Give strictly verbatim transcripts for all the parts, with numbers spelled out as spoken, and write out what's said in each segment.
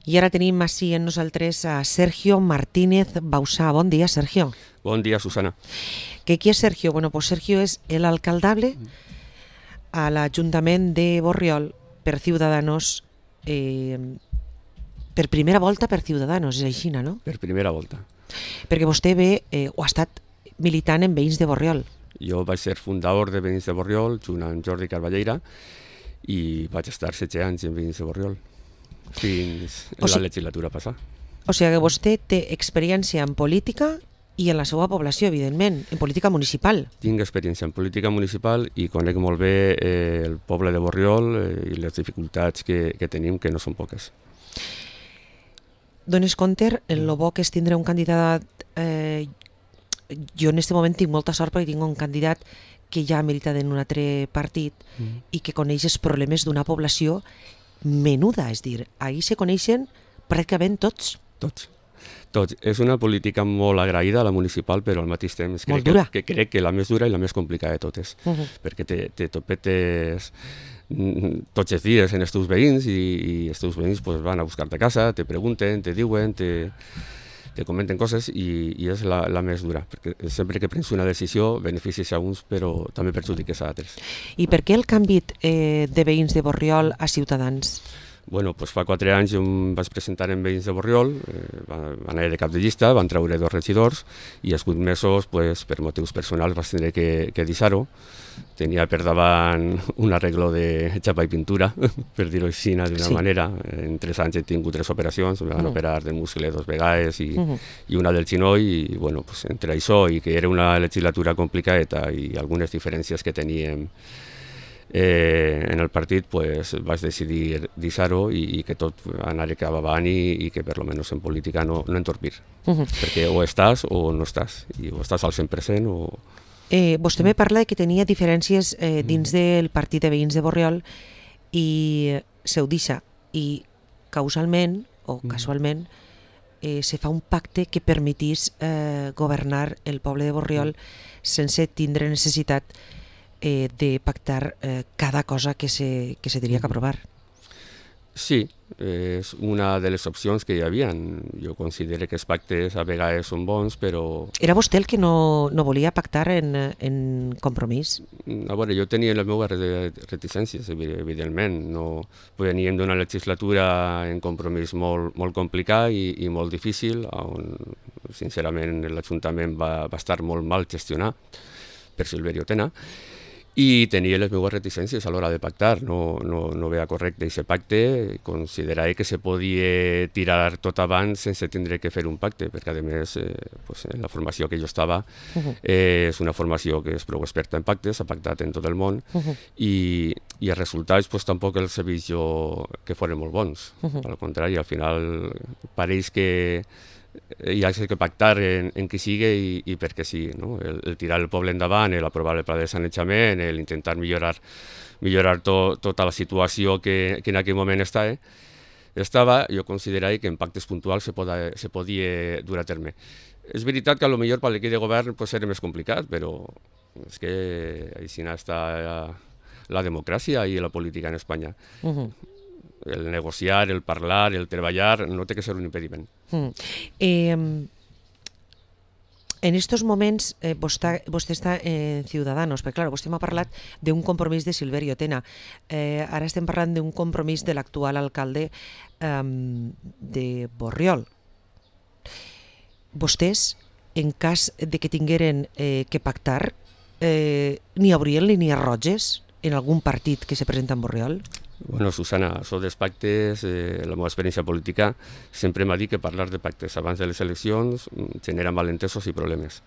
I ara tenim així en nosaltres a Sergio Martínez Bausá. Bon dia, Sergio. Bon dia, Susana. ¿Qué es Sergio? Bueno, pues Sergio es el alcaldable al Ajuntament de Borriol per Ciudadanos, eh, per primera volta per Ciudadanos, és així, no? Per primera volta. Perquè vostè ve eh, o ha estat militant en Veïns de Borriol. Jo vaig ser fundador de Veïns de Borriol junt amb Jordi Carballeira i vaig estar setze anys en Veïns de Borriol fins en la legislatura passada. O sigui que vostè té experiència en política i en la seva població, evidentment, en política municipal. Tinc experiència en política municipal i conec molt bé eh, el poble de Borriol eh, i les dificultats que, que tenim, que no són poques. Dones compte, el bo que és tindre un candidat... Eh, jo en aquest moment tinc molta sort perquè tinc un candidat que ja ha militat en un altre partit mm. i que coneix els problemes d'una població menuda, és dir, ahir se coneixen pràcticament tots. Tots. Tots. És una política molt agraïda, la municipal, però al mateix temps crec que, que crec que la més dura i la més complicada de totes, uh -huh. perquè te, te topetes tots els dies en els teus veïns i, i els teus veïns pues, van a buscar-te a casa, te pregunten, te diuen, te, te comenten coses i, i és la, la més dura, perquè sempre que prens una decisió beneficies a uns però també perjudiques a altres. I per què el canvi eh, de Veïns de Borriol a Ciutadans? Bueno, pues fa quatre anys em vaig presentar en Veïns de Borriol, eh, van anar de cap de llista, van treure dos regidors i als vuit mesos, pues, per motius personals, vaig tenir que, que deixar-ho. Tenia per davant un arreglo de xapa i pintura, per dir-ho així d'una sí. manera. En tres anys he tingut tres operacions, em van uh -huh. operar de muscle dos vegades i, uh -huh. i una del xinoll, i bueno, pues, entre això i que era una legislatura complicada i algunes diferències que teníem Eh, en el partit, pues, vaig decidir deixar-ho i, i que tot anara cap avant i, i que per lo menos en política no, no entorpir. Uh -huh. Perquè o estàs o no estàs, i o estàs al cent per cent o... Eh, vostè me parla de que tenia diferències eh, dins del partit de Veïns de Borriol i se ho deixa, i causalment o casualment eh, se fa un pacte que permetís eh, governar el poble de Borriol sense tindre necessitat Eh, de pactar eh, cada cosa que se, que se tenia que aprovar. Sí, és una de les opcions que hi havia. Jo considero que els pactes a vegades són bons, però... Era vostè el que no, no volia pactar en, en Compromís? A veure, jo tenia les meves reticències, evidentment. No, veníem d'una legislatura en Compromís molt, molt complicat i, i molt difícil, on sincerament l'Ajuntament va, va estar molt mal gestionat per Silverio Tena, i tenia les meves reticències a l'hora de pactar. No, no, no veia correcte aquest pacte, considerava que se podia tirar tot abans sense tindre que fer un pacte, perquè a més eh, pues, en la formació que jo estava uh-huh. eh, és una formació que és prou experta en pactes, ha pactat en tot el món, uh-huh. i, i els resultats pues, tampoc els he vist jo que foren molt bons. Uh-huh. Al contrari, al final pareix que hi ha que pactar en, en qui sigui i, i perquè sí, no? el, el tirar el poble endavant, l'aprovar el pla de sanejament, l'intentar millorar, millorar to, tota la situació que, que en aquell moment està, eh? estava, jo considerava que en pactes puntuals se, poda, se podia dur a terme. És veritat que potser per l'equip de govern pues, era més complicat, però és que així està la, la democràcia i la política en Espanya. Uh-huh. El negociar, el parlar, el treballar, no té que ser un impediment. Mm. Eh, en estos moments eh, vostè, vostè està en Ciudadanos, perquè clar, vostè m'ha parlat d'un compromís de Silverio Tena. Eh, ara estem parlant d'un compromís de l'actual alcalde eh, de Borriol. Vostès, en cas de que tingueren eh, que pactar, eh, n'hi haurien línies roges en algun partit que se presenta en Borriol? Bueno, Susana, això dels pactes, eh, la meva experiència política sempre m'ha dit que parlar de pactes abans de les eleccions genera malentesos i problemes.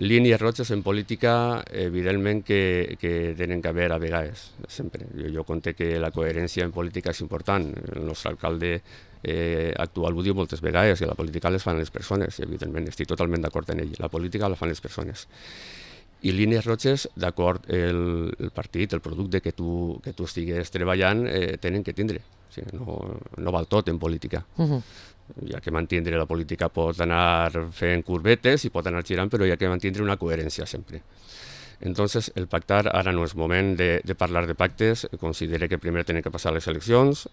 Línies roges en política, evidentment que, que tenen que haver a vegades, sempre. Jo, jo conté que la coherència en política és important. El nostre alcalde eh, actual ho diu moltes vegades, que la política les fan les persones, evidentment, estic totalment d'acord en ell. La política la fan les persones. I línies roges, d'acord, el, el partit, el producte que tu, que tu estigues treballant, eh, tenen que tindre. O sigui, no, no val tot en política. Uh-huh. Hi ha que mantindre, la política pot anar fent curvetes i pot anar girant, però hi ha que mantindre una coherència sempre. Entonces, el pactar ara no és moment de, de parlar de pactes, considero que primer tenen que passar les eleccions,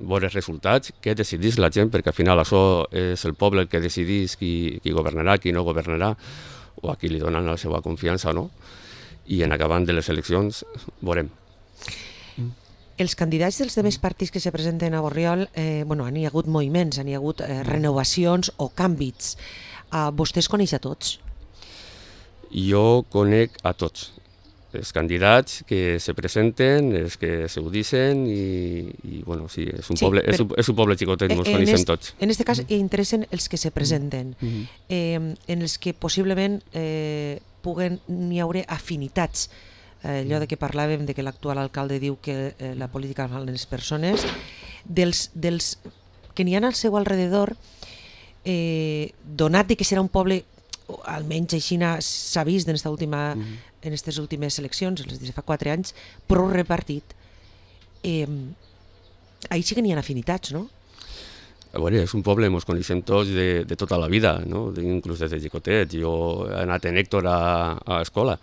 veure els resultats, què decidís la gent, perquè al final això és el poble el que decidís qui, qui governarà, qui no governarà, o a qui li donen la seva confiança o no. I en acabant de les eleccions veurem. Els candidats dels demés partits que se presenten a Borriol, eh, bueno, han hi hagut moviments, han hi hagut eh, renovacions o canvis. Uh, vostès coneix a tots? Jo conec a tots. Els candidats que se presenten, els que se ho dicen i, i bueno, sí, és un, sí, poble, però, és un, és un poble xicotet, ens coneixem tots. En aquest cas, mm-hmm. interessen els que se presenten, mm-hmm. eh, en els que possiblement eh, puguen n'hi haure afinitats. Eh, allò de que parlàvem, de que l'actual alcalde diu que eh, la política fa les persones, dels, dels que n'hi ha al seu alrededor, eh, donat de que serà un poble, almenys així s'ha vist en esta última... Mm-hmm. en aquestes últimes eleccions, les de fa quatre anys, prou repartit, eh, ahir sí que n'hi ha afinitats, no? A veure, és un poble, ens coneixem tots de, de tota la vida, no? Inclús des de xicotet. Jo he anat en Héctor a, a l'escola.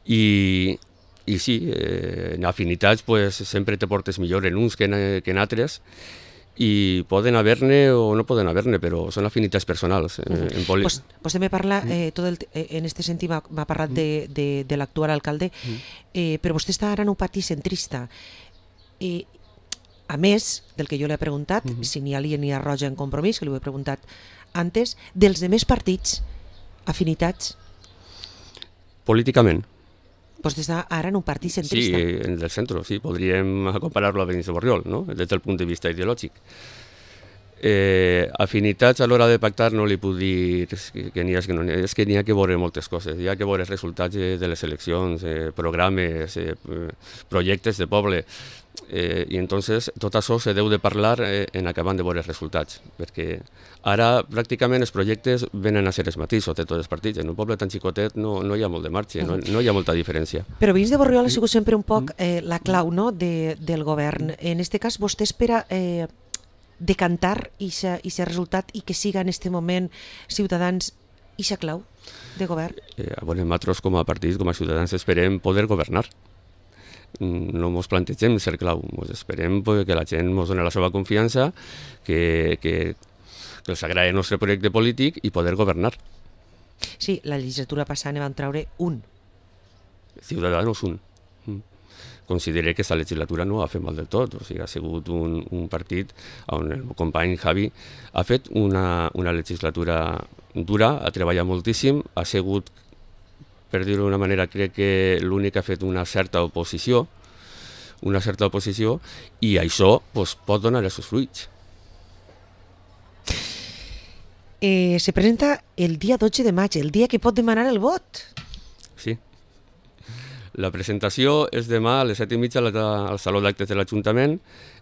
I, i sí, eh, en afinitats pues, sempre te portes millor en uns que en, que en altres, i poden haver-ne o no poden haver-ne, però són afinitats personals. Eh, uh-huh. en poli... pues, vostè me parla, eh, tot el, eh, en aquest sentit m'ha parlat de, de, de l'actual alcalde, uh-huh. eh, però vostè està ara en un partit centrista. Eh, a més del que jo li he preguntat, uh-huh. si n'hi ha línia ni ha roja en Compromís, que li ho he preguntat antes, dels demés partits, afinitats? Políticament. Vostè està ara en un partit centrista. Sí, en el centre, sí, podríem comparar-lo a Veïns de Borriol, no? Des del punt de vista ideològic. Eh, afinitats a l'hora de pactar no li puc dir que, que n'hi ha, que no n'hi ha, és que n'hi ha que veure moltes coses, hi ha que veure els resultats de les eleccions, eh, programes, eh, projectes de poble, eh, i entonces tot això se deu de parlar eh, en acabant de veure els resultats, perquè ara pràcticament els projectes venen a ser els mateixos de tots els partits, en un poble tan xicotet no, no hi ha molt de marge, no, no hi ha molta diferència. Però Veïns de Borriol ha sigut sempre un poc eh, la clau, no?, de, del govern. En aquest cas vostè espera eh, decantar aquest resultat i que siga en aquest moment Ciutadans ixa clau de govern? Eh, bueno, nosaltres com a partit, com a Ciutadans, esperem poder governar. No ens plantegem ser clau, ens esperem que la gent ens doni la seva confiança, que, que, que els agradi el nostre projecte polític i poder governar. Sí, la legislatura passada ne van treure un. Ciutadans un. Considero que aquesta legislatura no ha fet mal del tot, o sigui, ha sigut un, un partit on el meu company Javi ha fet una, una legislatura dura, ha treballat moltíssim, ha sigut, per dir-ho d'una manera, crec que l'únic que ha fet una certa oposició, una certa oposició, i això pues, pot donar els seus fruits. Eh, se presenta el dia dotze de maig, el dia que pot demanar el vot. Sí. La presentació és demà a les set i mitja al Saló d'Actes de l'Ajuntament,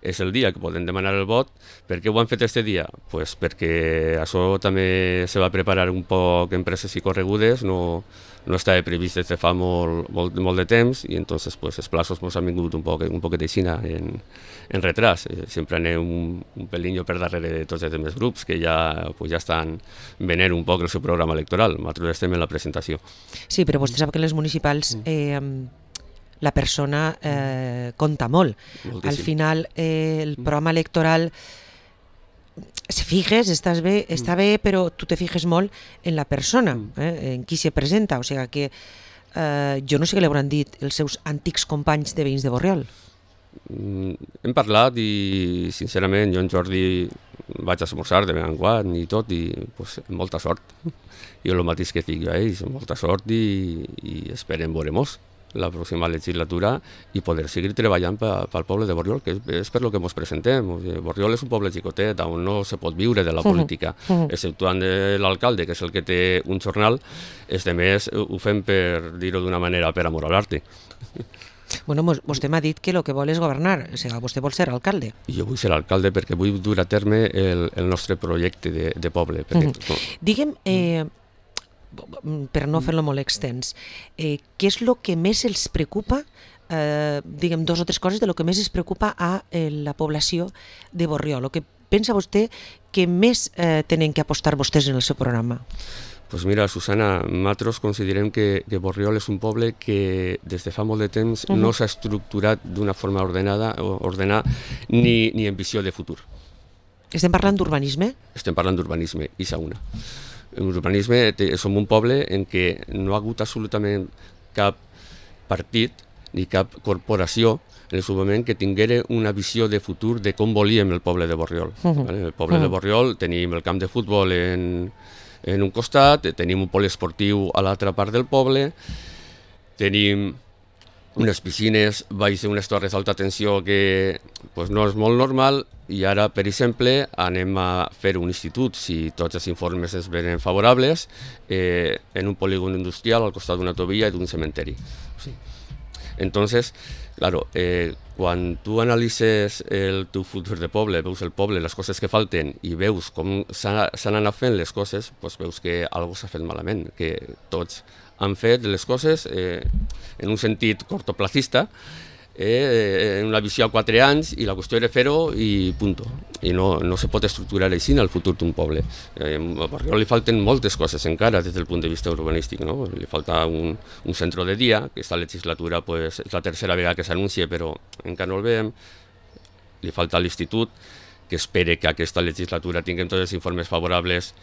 és el dia que poden demanar el vot. Per què ho han fet aquest dia? Pues perquè això també se va preparar un poc en presses i corregudes, no, no estava previst des de fa molt, molt, molt de temps, i entonces pues, els plaços ens han vingut un poc, un poquet aixina en, en retras. Eh, sempre anem un, un pelinho per darrere de tots els altres grups que ja, pues, ja estan venent un poc el seu programa electoral. Nosaltres estem en la presentació. Sí, però vostè sap que en les municipals eh, la persona eh, compta molt. Moltíssim. Al final eh, el programa electoral se fijes, estàs bé, està bé, però tu te fijes molt en la persona, eh, en qui se presenta, o sigui que eh, jo no sé què li hauran dit els seus antics companys de Veïns de Borriol. Mm, hem parlat i sincerament jo en Jordi vaig a esmorzar de vegades en quan i tot, i pues, molta sort. Jo el mateix que dic a ells, molta sort i, i esperem veure-nos la pròxima legislatura i poder seguir treballant pel poble de Borriol, que és per lo que ens presentem. Borriol és un poble xicotet on no se pot viure de la política, uh-huh. exceptuant l'alcalde, que és el que té un jornal. Els demés ho fem, per dir-ho d'una manera, per amor a l'arte. Bueno, vostè m'ha dit que el que vol és governar, o sigui, vostè vol ser alcalde. Jo vull ser alcalde perquè vull dur a terme el, el nostre projecte de, de poble. Perquè, uh-huh. no. Digue'm, eh, per no fer-lo molt extens, eh, què és el que més els preocupa, eh, diguem dos o tres coses de lo que més es preocupa a eh, la població de Borriol, el que pensa vostè que més eh, tenen que apostar vostès en el seu programa? Pues mira, Susana, nosaltres considerem que, que Borriol és un poble que des de fa molt de temps uh-huh. no s'ha estructurat d'una forma ordenada, ordenada ni, ni en visió de futur. Estem parlant d'urbanisme? Estem parlant d'urbanisme, i s'una. En urbanisme som un poble en què no ha hagut absolutament cap partit ni cap corporació en el seu moment que tinguera una visió de futur de com volíem el poble de Borriol. Uh-huh. El poble uh-huh. de Borriol tenim el camp de futbol en... en un costat, tenim un poliesportiu a l'altra part del poble, tenim unes piscines baix unes torres d'alta tensió que pues, no és molt normal, i ara, per exemple, anem a fer un institut, si tots els informes es venen favorables, eh, en un polígon industrial al costat d'una autovia i d'un cementeri. Sí. Entonces, claro, eh, quan tu analitzes el teu futur de poble, veus el poble, les coses que falten i veus com s'han anat fent les coses, doncs veus que alguna cosa s'ha fet malament, que tots han fet les coses eh, en un sentit cortoplacista, eh, en una visió a quatre anys, i la qüestió era fer-ho i punt. I no, no se pot estructurar així en el futur d'un poble. Eh, a Borriol li falten moltes coses encara des del punt de vista urbanístic, no? Li falta un, un centre de dia, que aquesta legislatura pues, és la tercera vegada que s'anuncia, però encara no el veiem. Li falta l'institut, que espere que aquesta legislatura tinguem tots els informes favorables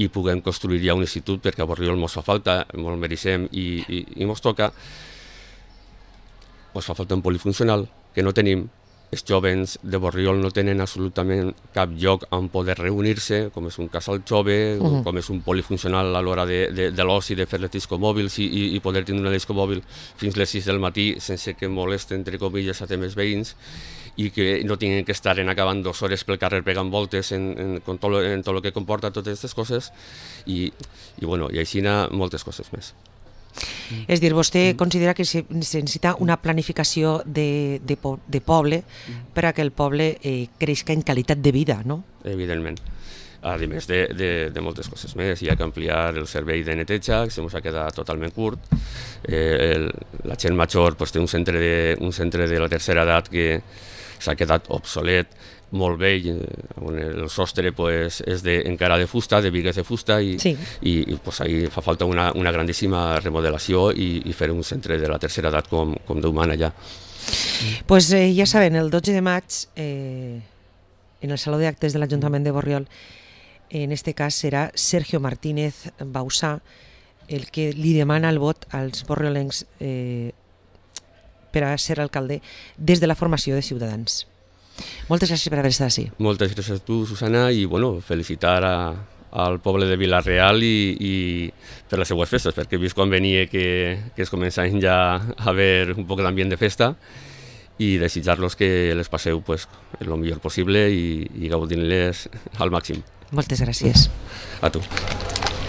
i puguem construir ja un institut, perquè a Borriol mos fa falta, molt mereixem i, i, i mos toca. Ens fa falta un polifuncional, que no tenim. Els jovens de Borriol no tenen absolutament cap lloc on poder reunir-se, com és un casal jove, uh-huh. com és un polifuncional a l'hora de, de, de l'oci, de fer les discomòbils i, i poder tindre una discomòbil fins les sis del matí sense que molesten, entre comilles, a temes veïns, i que no tinguin que estar en acabant dues hores pel carrer pegant voltes en, en, en, tot, lo, en tot el que comporta totes aquestes coses, i, i, bueno, i així moltes coses més. Mm. És dir, vostè mm. considera que se necessita una planificació de, de, po de poble mm. per a que el poble eh, creixi en qualitat de vida, no? Evidentment. A més de, de, de moltes coses més, hi ha que ampliar el servei de neteja, que se ens ha quedat totalment curt. Eh, el, la gent major pues, té un centre, de, un centre de la tercera edat que s'ha quedat obsolet, molt vell, on el sostre pues, és de, encara de fusta, de bigues de fusta, i, sí. i, i pues, ahí fa falta una, una grandíssima remodelació i, i fer un centre de la tercera edat com, com Déu mana allà. Pues eh, ja saben, el dotze de maig, eh, en el Saló d'Actes de l'Ajuntament de Borriol, en este cas serà Sergio Martínez Bausà el que li demana el vot als borriolencs eh, per a ser alcalde des de la formació de Ciutadans. Moltes gràcies per haver estat així. Moltes gràcies a tu, Susana, i bueno, felicitar a, al poble de Vila-real i, i per les seues festes, perquè he vist quan venia que, que es començaven ja a haver un poc d'ambient de festa, i desitjar-los que les passeu pues, el millor possible i, i gaudint-les al màxim. Moltes gràcies. A tu.